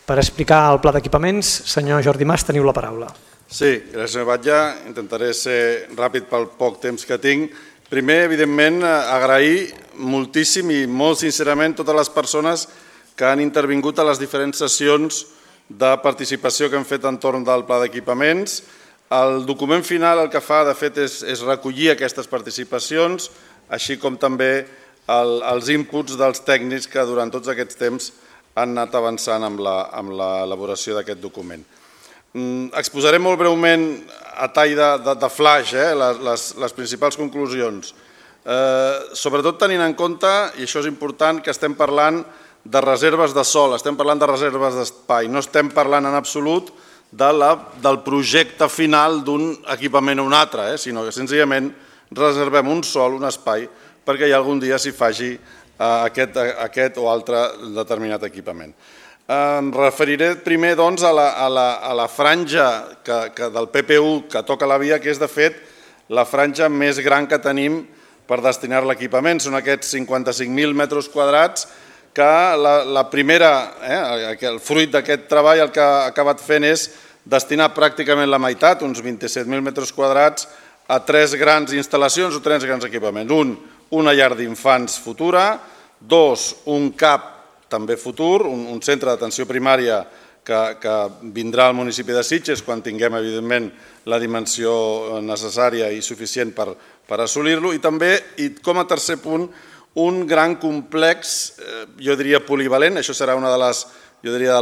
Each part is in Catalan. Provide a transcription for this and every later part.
Per explicar el pla d'equipaments, senyor Jordi Mas, teniu la paraula. Sí, gràcies, senyor Batlle. Intentaré ser ràpid pel poc temps que tinc. Primer, evidentment, agrair moltíssim i molt sincerament totes les persones que han intervingut a les diferents sessions de participació que hem fet entorn del pla d'equipaments. El document final el que fa, de fet, és recollir aquestes participacions, així com també els inputs dels tècnics que durant tots aquests temps han anat avançant amb l'elaboració d'aquest document. Exposaré molt breument a tall de flash les principals conclusions. Sobretot tenint en compte, i això és important, que estem parlant de reserves de sòl, estem parlant de reserves d'espai, no estem parlant en absolut del projecte final d'un equipament o un altre, sinó que senzillament reservem un sòl, un espai, perquè ja algun dia s'hi faci aquest o altre determinat equipament. Em referiré primer doncs, a la franja del PPU que toca la via, que és de fet la franja més gran que tenim per destinar l'equipament. Són aquests 55.000 metres quadrats que la primera, el fruit d'aquest treball el que ha acabat fent és destinar pràcticament la meitat, uns 27.000 metres quadrats, a tres grans instal·lacions o tres grans equipaments. Una llar d'infants futura, dos, un CAP també futur, un centre d'atenció primària que vindrà al municipi de Sitges quan tinguem, evidentment, la dimensió necessària i suficient per assolir-lo, i també, com a tercer punt, un gran complex, jo diria polivalent, això serà una de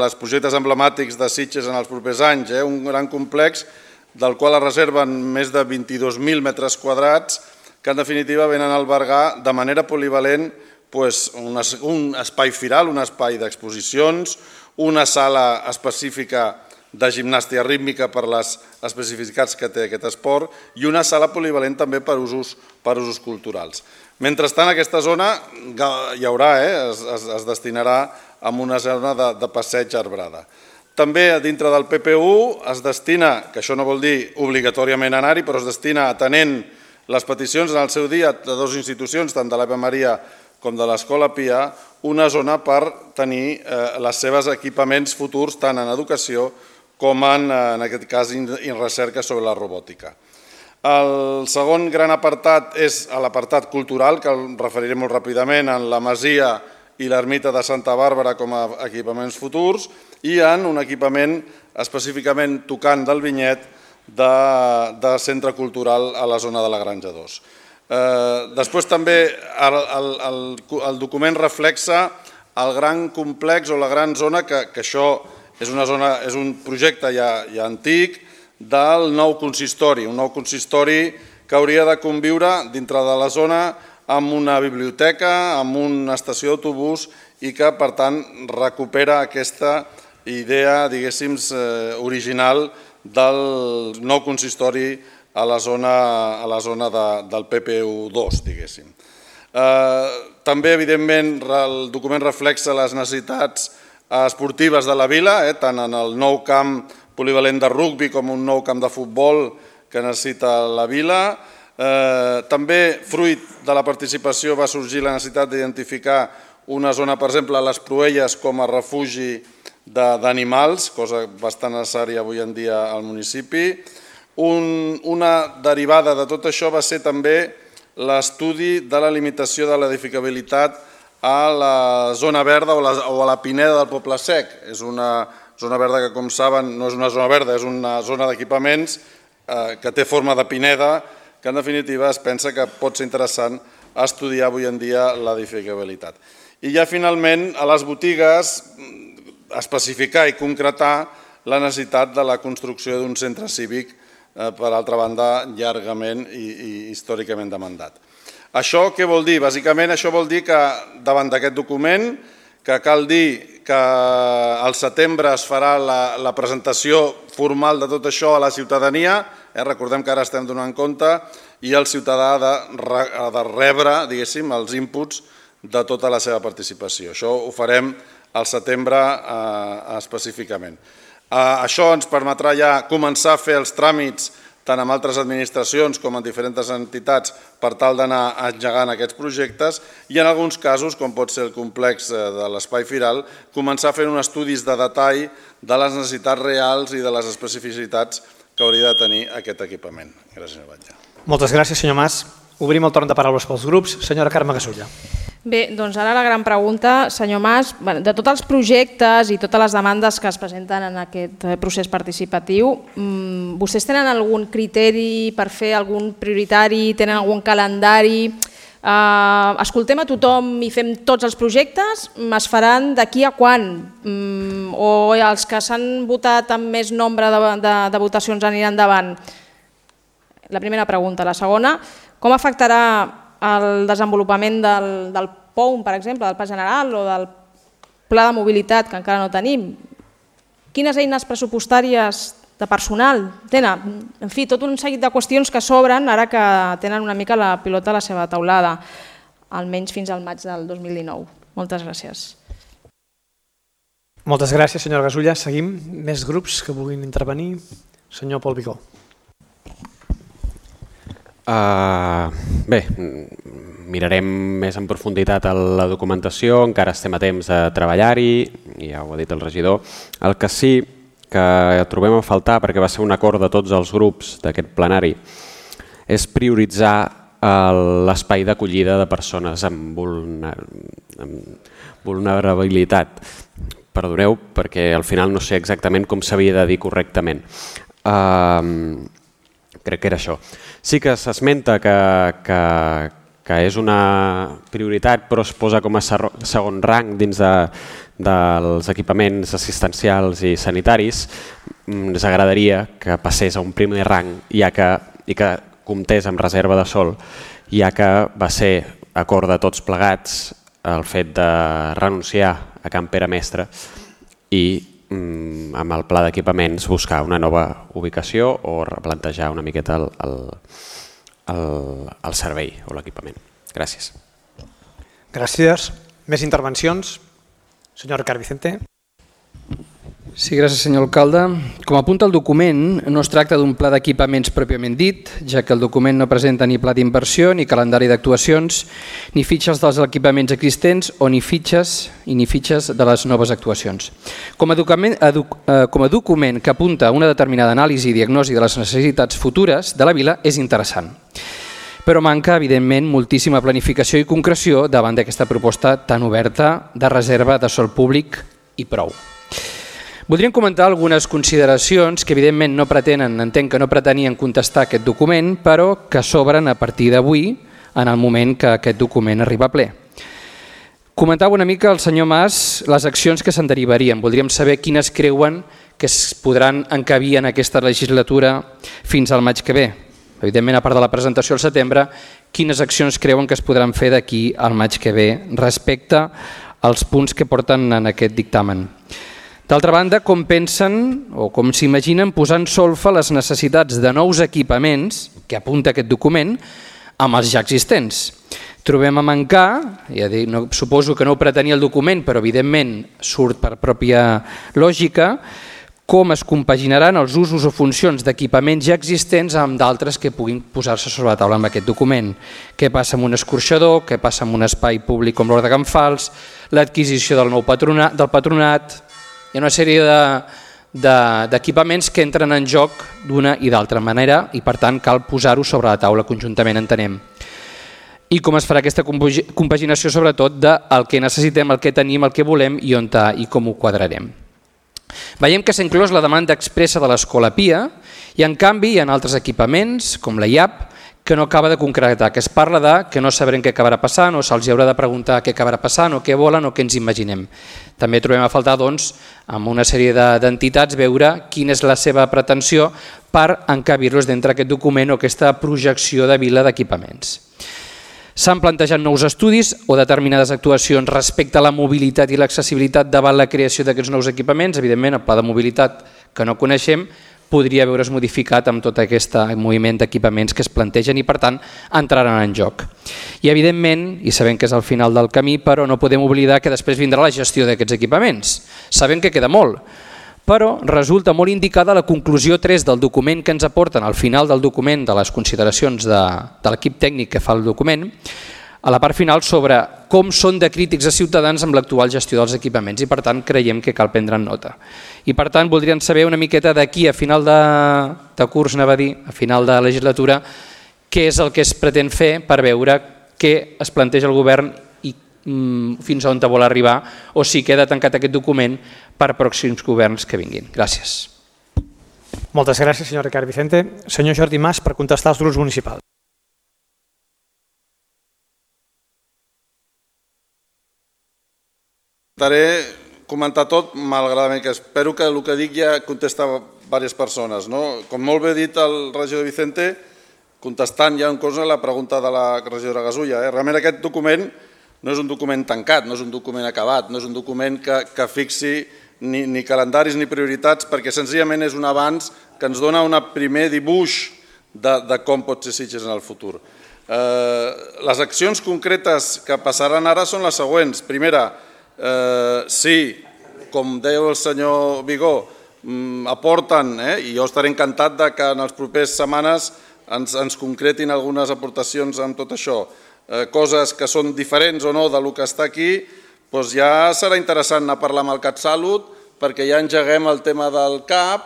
les projectes emblemàtics de Sitges en els propers anys, un gran complex del qual es reserven més de 22.000 metres quadrats que en definitiva venen a albergar de manera polivalent un espai firal, un espai d'exposicions, una sala específica de gimnàstica rítmica per les especificitats que té aquest esport i una sala polivalent també per usos culturals. Mentrestant, aquesta zona hi haurà, es destinarà a una zona de passeig arbrada. També dintre del PPU es destina, que això no vol dir obligatòriament anar-hi, però es destina atenent les peticions en el seu dia de dues institucions, tant de l'Ave Maria com de l'Escola Pia, una zona per tenir els seus equipaments futurs tant en educació com en aquest cas en recerca sobre la robòtica. El segon gran apartat és l'apartat cultural, que el referiré molt ràpidament, en la Masia i l'Ermita de Santa Bàrbara com a equipaments futurs i en un equipament específicament tocant del vinyet de centre cultural a la zona de la Granja 2. Després també el document reflexa el gran complex o la gran zona, que això és un projecte ja antic, del nou consistori, un nou consistori que hauria de conviure dintre de la zona amb una biblioteca, amb una estació d'autobús i que, per tant, recupera aquesta idea, diguéssim, original del nou consistori a la zona del PPU2, diguéssim. També, evidentment, el document reflexa les necessitats esportives de la vila, tant en el nou camp polivalent de rugbi com un nou camp de futbol que necessita la vila. També, fruit de la participació, va sorgir la necessitat d'identificar una zona, per exemple, a les Proelles com a refugi d'animals, cosa bastant necessària avui en dia al municipi. Una derivada de tot això va ser també l'estudi de la limitació de l'edificabilitat a la zona verda o a la pineda del Poble Sec. És una zona verda que, com saben, no és una zona verda, és una zona d'equipaments que té forma de pineda, que en definitiva es pensa que pot ser interessant estudiar avui en dia l'edificabilitat. I ja finalment a les botigues especificar i concretar la necessitat de la construcció d'un centre cívic, per altra banda, llargament i històricament demandat. Això què vol dir? Bàsicament això vol dir que davant d'aquest document, que cal dir que al setembre es farà la presentació formal de tot això a la ciutadania, recordem que ara estem donant compte, i el ciutadà ha de rebre, diguéssim, els inputs de tota la seva participació. Això ho farem al setembre específicament. Això ens permetrà ja començar a fer els tràmits tant amb altres administracions com amb diferents entitats per tal d'anar engegant aquests projectes i en alguns casos, com pot ser el complex de l'Espai Firal, començar fent uns estudis de detall de les necessitats reals i de les especificitats que hauria de tenir aquest equipament. Gràcies, senyor Batlle. Moltes gràcies, senyor Mas. Obrim el torn de paraules pels grups. Senyora Carme Gasulla. Bé, doncs ara la gran pregunta, senyor Mas, de tots els projectes i totes les demandes que es presenten en aquest procés participatiu, vostès tenen algun criteri per fer algun prioritari, tenen algun calendari? Escoltem a tothom i fem tots els projectes, es faran d'aquí a quan? O els que s'han votat amb més nombre de votacions aniran endavant? La primera pregunta. La segona, com afectarà el desenvolupament del POUM, per exemple, del Pla General o del Pla de Mobilitat, que encara no tenim? Quines eines pressupostàries de personal tenen? En fi, tot un seguit de qüestions que s'obren ara que tenen una mica la pilota a la seva taulada, almenys fins al maig del 2019. Moltes gràcies. Moltes gràcies, senyora Gasulla. Seguim. Més grups que vulguin intervenir. Senyor Pol Bicó. Bé, mirarem més en profunditat la documentació, encara estem a temps de treballar-hi, ja ho ha dit el regidor. El que sí que trobem a faltar, perquè va ser un acord de tots els grups d'aquest plenari, és prioritzar l'espai d'acollida de persones amb vulnerabilitat. Perdoneu, perquè al final no sé exactament com s'havia de dir correctament. Crec que era això. Sí que s'esmenta que és una prioritat, però es posa com a segon rang dins dels equipaments assistencials i sanitaris. Ens agradaria que passés a un primer rang i que comptés amb reserva de sòl, ja que va ser acord de tots plegats el fet de renunciar a Can Pere Mestre i amb el pla d'equipaments buscar una nova ubicació o replantejar una miqueta el servei o l'equipament. Gràcies. Gràcies. Més intervencions? Senyor Ricard Vicente. Sí, gràcies, senyor alcalde. Com apunta el document, no es tracta d'un pla d'equipaments pròpiament dit, ja que el document no presenta ni pla d'inversió, ni calendari d'actuacions, ni fitxes dels equipaments existents o ni fitxes de les noves actuacions. Com a document que apunta a una determinada anàlisi i diagnosi de les necessitats futures de la vila és interessant. Però manca, evidentment, moltíssima planificació i concreció davant d'aquesta proposta tan oberta de reserva de sòl públic i prou. Voldríem comentar algunes consideracions que evidentment no pretenen, entenc que no pretenien contestar aquest document, però que s'obren a partir d'avui en el moment que aquest document arriba a ple. Comentava una mica el senyor Mas les accions que se'n derivarien. Voldríem saber quines creuen que es podran encabir en aquesta legislatura fins al maig que ve. Evidentment, a part de la presentació al setembre, quines accions creuen que es podran fer d'aquí al maig que ve respecte als punts que porten en aquest dictamen. D'altra banda, com pensen o com s'imaginen posant solfa les necessitats de nous equipaments que apunta aquest document amb els ja existents. Trobem a mancar, ja dic, suposo que no ho pretenia el document, però evidentment surt per pròpia lògica, com es compaginaran els usos o funcions d'equipaments ja existents amb d'altres que puguin posar-se sobre la taula amb aquest document. Què passa amb un escorxador, què passa amb un espai públic com l'Hort de Can Fals, l'adquisició del nou patronat. Hi ha una sèrie d'equipaments que entren en joc d'una i d'altra manera i per tant cal posar-ho sobre la taula conjuntament, entenem. I com es farà aquesta compaginació sobretot del que necessitem, el que tenim, el que volem i com ho quadrarem. Veiem que s'ha inclòs la demanda expressa de l'Escola Pia i en canvi hi ha altres equipaments com la IAP que no acaba de concretar, que es parla de que no sabrem què acabarà passant o se'ls haurà de preguntar què acabarà passant o què volen o què ens imaginem. També trobem a faltar, doncs, amb una sèrie d'entitats veure quina és la seva pretensió per encabir-los dintre aquest document o aquesta projecció de vila d'equipaments. S'han plantejat nous estudis o determinades actuacions respecte a la mobilitat i l'accessibilitat davant la creació d'aquests nous equipaments. Evidentment, el pla de mobilitat que no coneixem podria veure's modificat amb tot aquest moviment d'equipaments que es plantegen i per tant entraran en joc. I evidentment, i sabem que és al final del camí, però no podem oblidar que després vindrà la gestió d'aquests equipaments. Sabem que queda molt, però resulta molt indicada la conclusió 3 del document que ens aporten al final del document, de les consideracions de l'equip tècnic que fa el document, a la part final sobre com són de crítics a ciutadans amb l'actual gestió dels equipaments i per tant creiem que cal prendre nota. I per tant voldríem saber una miqueta d'aquí a final de curs, anava a dir, a final de legislatura, què és el que es pretén fer per veure què es planteja el govern i fins on vol arribar o si queda tancat aquest document per pròxims governs que vinguin. Gràcies. Moltes gràcies, senyor Ricard Vicente. Senyor Jordi Mas, per contestar als grups municipals. Intentaré comentar tot, malgrat que espero que el que dic ja contesta a diverses persones. Com molt bé ha dit el regidor Vicente, contestant ja en cosa la pregunta de la regidora Gasulla. Realment aquest document no és un document tancat, no és un document acabat, no és un document que fixi ni calendaris ni prioritats, perquè senzillament és un avanç que ens dona un primer dibuix de com pot ser Sitges en el futur. Les accions concretes que passaran ara són les següents. Primera, si, com deia el senyor Vigó, aporten, i jo estaré encantat que en les properes setmanes ens concretin algunes aportacions amb tot això, coses que són diferents o no del que està aquí, doncs ja serà interessant anar a parlar amb el CatSalut perquè ja engeguem el tema del CAP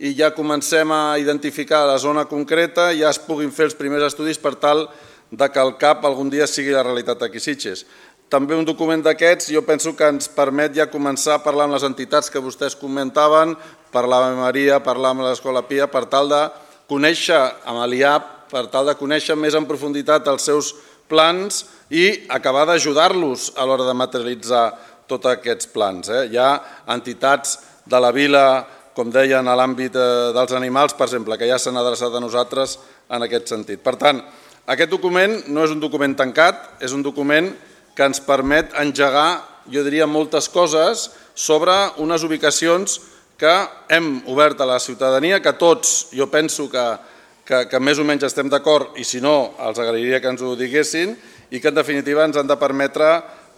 i ja comencem a identificar la zona concreta i ja es puguin fer els primers estudis per tal que el CAP algun dia sigui la realitat aquí a Sitges. També un document d'aquests jo penso que ens permet ja començar a parlar amb les entitats que vostès comentaven, parlar amb Maria, parlar amb l'Escola Pia, per tal de conèixer amb l'IAP, per tal de conèixer més en profunditat els seus plans i acabar d'ajudar-los a l'hora de materialitzar tots aquests plans. Hi ha entitats de la vila, com deien, a l'àmbit dels animals, per exemple, que ja s'han adreçat a nosaltres en aquest sentit. Per tant, aquest document no és un document tancat, és un document que ens permet engegar, jo diria, moltes coses sobre unes ubicacions que hem obert a la ciutadania, que tots, jo penso que més o menys estem d'acord i si no, els agrairia que ens ho diguessin i que en definitiva ens han de permetre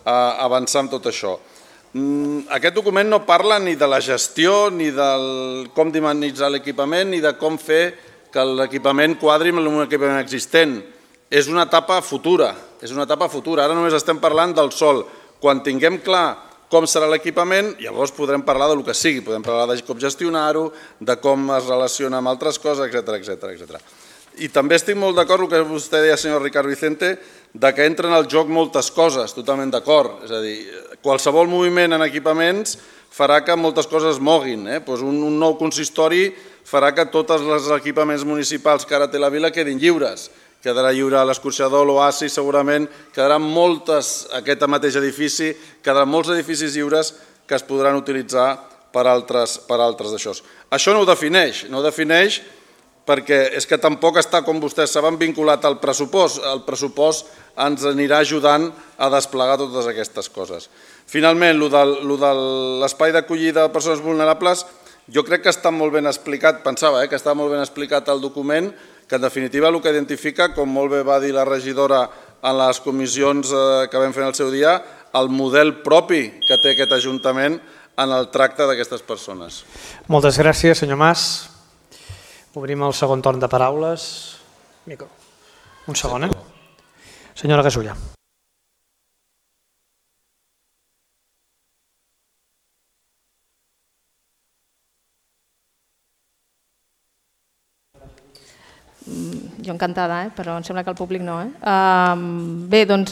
avançar amb tot això. Aquest document no parla ni de la gestió, ni de com dinamitzar l'equipament, ni de com fer que l'equipament quadri amb un equipament existent. És una etapa futura, Ara només estem parlant del sòl. Quan tinguem clar com serà l'equipament, llavors podrem parlar del que sigui, podem parlar de com gestionar-ho, de com es relaciona amb altres coses, etc. I també estic molt d'acord amb el que vostè deia, senyor Ricard Vicente, que entren al joc moltes coses, totalment d'acord. És a dir, qualsevol moviment en equipaments farà que moltes coses es moguin. Un nou consistori farà que tots els equipaments municipals que ara té la vila quedin lliures. Quedarà lliure l'escorxador, l'oasi, segurament quedaran moltes, aquest mateix edifici, quedaran molts edificis lliures que es podran utilitzar per altres d'això. Això no ho defineix perquè és que tampoc està, com vostès saben, vinculat al pressupost. El pressupost ens anirà ajudant a desplegar totes aquestes coses. Finalment, el de l'espai d'acollida de persones vulnerables, jo crec que està molt ben explicat, pensava que està molt ben explicat el document, que en definitiva el que identifica, com molt bé va dir la regidora en les comissions que vam fer en el seu dia, el model propi que té aquest Ajuntament en el tracte d'aquestes persones. Moltes gràcies, senyor Mas. Obrim el segon torn de paraules. Un segon, Senyora Gasulla. Jo encantada, però em sembla que el públic no. Bé, doncs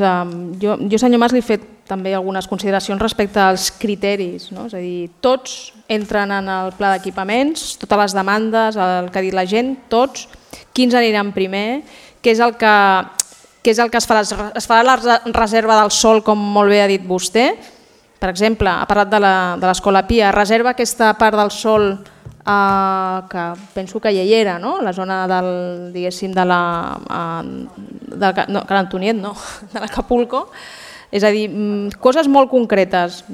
jo, senyor Mas, li he fet també algunes consideracions respecte als criteris. És a dir, tots entren en el pla d'equipaments, totes les demandes, el que ha dit la gent, tots, quins aniran primer, què és el que es farà? Es farà la reserva del sòl, com molt bé ha dit vostè. Per exemple, ha parlat de l'Escola Pia, reserva aquesta part del sòl que penso que ja hi era, la zona del, diguéssim, de l'Antoniet, de l'Acapulco. És a dir, coses molt concretes.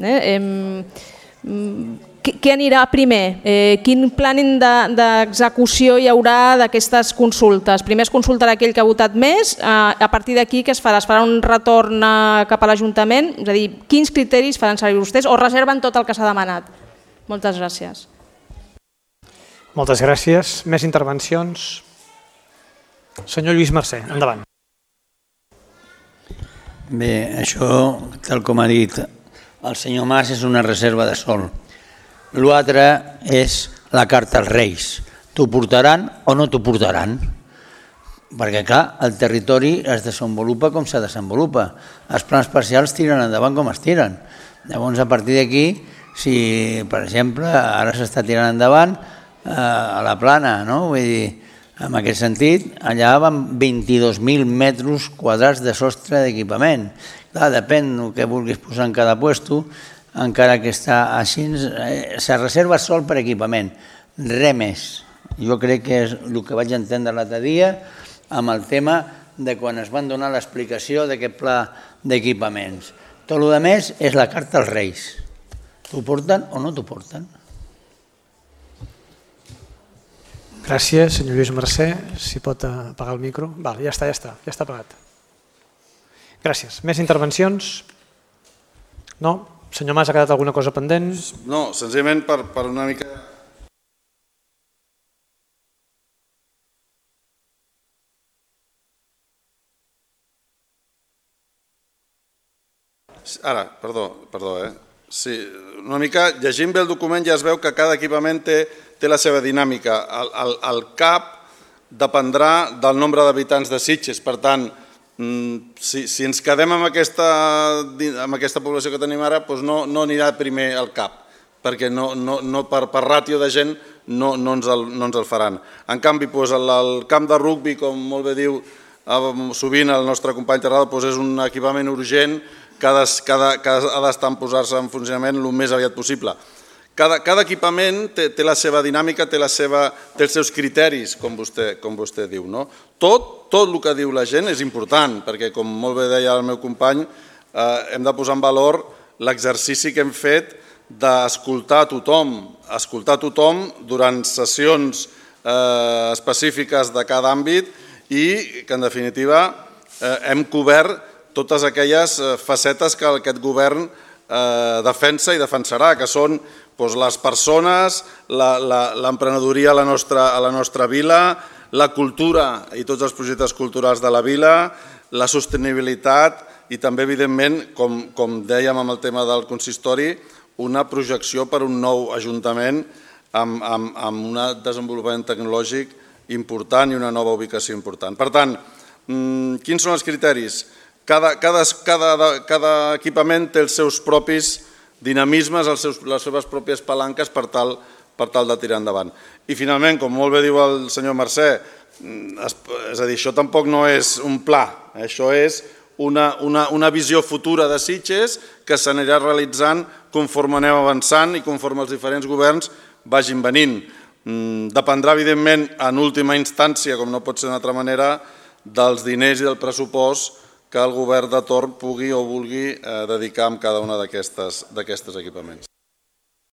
Què anirà primer? Quin planning d'execució hi haurà d'aquestes consultes? Primer es consultarà aquell que ha votat més, a partir d'aquí què es farà? Es farà un retorn cap a l'Ajuntament? És a dir, quins criteris faran servir vostès o reserven tot el que s'ha demanat? Moltes gràcies. Moltes gràcies. Més intervencions? Senyor Lluís Mercè, endavant. Bé, això, tal com ha dit el senyor Mas, és una reserva de sol. L'altre és la carta als Reis. T'ho portaran o no t'ho portaran? Perquè, clar, el territori es desenvolupa com se desenvolupa. Els plans parcials tiren endavant com es tiren. Llavors, a partir d'aquí, si, per exemple, ara s'està tirant endavant a la Plana, no? Vull dir, en aquest sentit, allà van 22.000 metres quadrats de sostre d'equipament. Clar, depèn del que vulguis posar en cada puesto, encara que està així, se reserva sol per equipament, res més. Jo crec que és el que vaig entendre l'altre dia amb el tema de quan es van donar l'explicació d'aquest pla d'equipaments. Tot el que més és la carta als Reis. T'ho porten o no t'ho porten? Gràcies, senyor Lluís Mercè. Si pot apagar el micro. Val, ja està apagat. Gràcies. Més intervencions? No? Senyor Mas, ha quedat alguna cosa pendent? No, senzillament per una mica... Ara, perdó, Sí, una mica, llegint bé el document ja es veu que cada equipament té la seva dinàmica. El CAP dependrà del nombre d'habitants de Sitges, per tant, si ens quedem amb aquesta població que tenim ara, doncs no anirà primer el CAP, perquè per ràtio de gent no ens el faran. En canvi, el camp de rugbi, com molt bé diu sovint el nostre company Terrado, és un equipament urgent que ha d'estar en posar-se en funcionament el més aviat possible. Cada equipament té la seva dinàmica, té els seus criteris, com vostè diu. Tot el que diu la gent és important, perquè, com molt bé deia el meu company, hem de posar en valor l'exercici que hem fet d'escoltar a tothom durant sessions específiques de cada àmbit i que, en definitiva, hem cobert totes aquelles facetes que aquest govern defensa i defensarà, que són les persones, l'emprenedoria a la nostra vila, la cultura i tots els projectes culturals de la vila, la sostenibilitat i també, evidentment, com dèiem amb el tema del consistori, una projecció per un nou ajuntament amb un desenvolupament tecnològic important i una nova ubicació important. Per tant, quins són els criteris? Cada equipament té els seus propis dinamismes, les seves pròpies palanques per tal de tirar endavant. I finalment, com molt bé diu el senyor Mercè, és a dir, això tampoc no és un pla, això és una visió futura de Sitges que s'anirà realitzant conforme anem avançant i conforme els diferents governs vagin venint. Dependrà, evidentment, en última instància, com no pot ser d'una altra manera, dels diners i del pressupost que el govern de torn pugui o vulgui dedicar a cada una d'aquestes equipaments.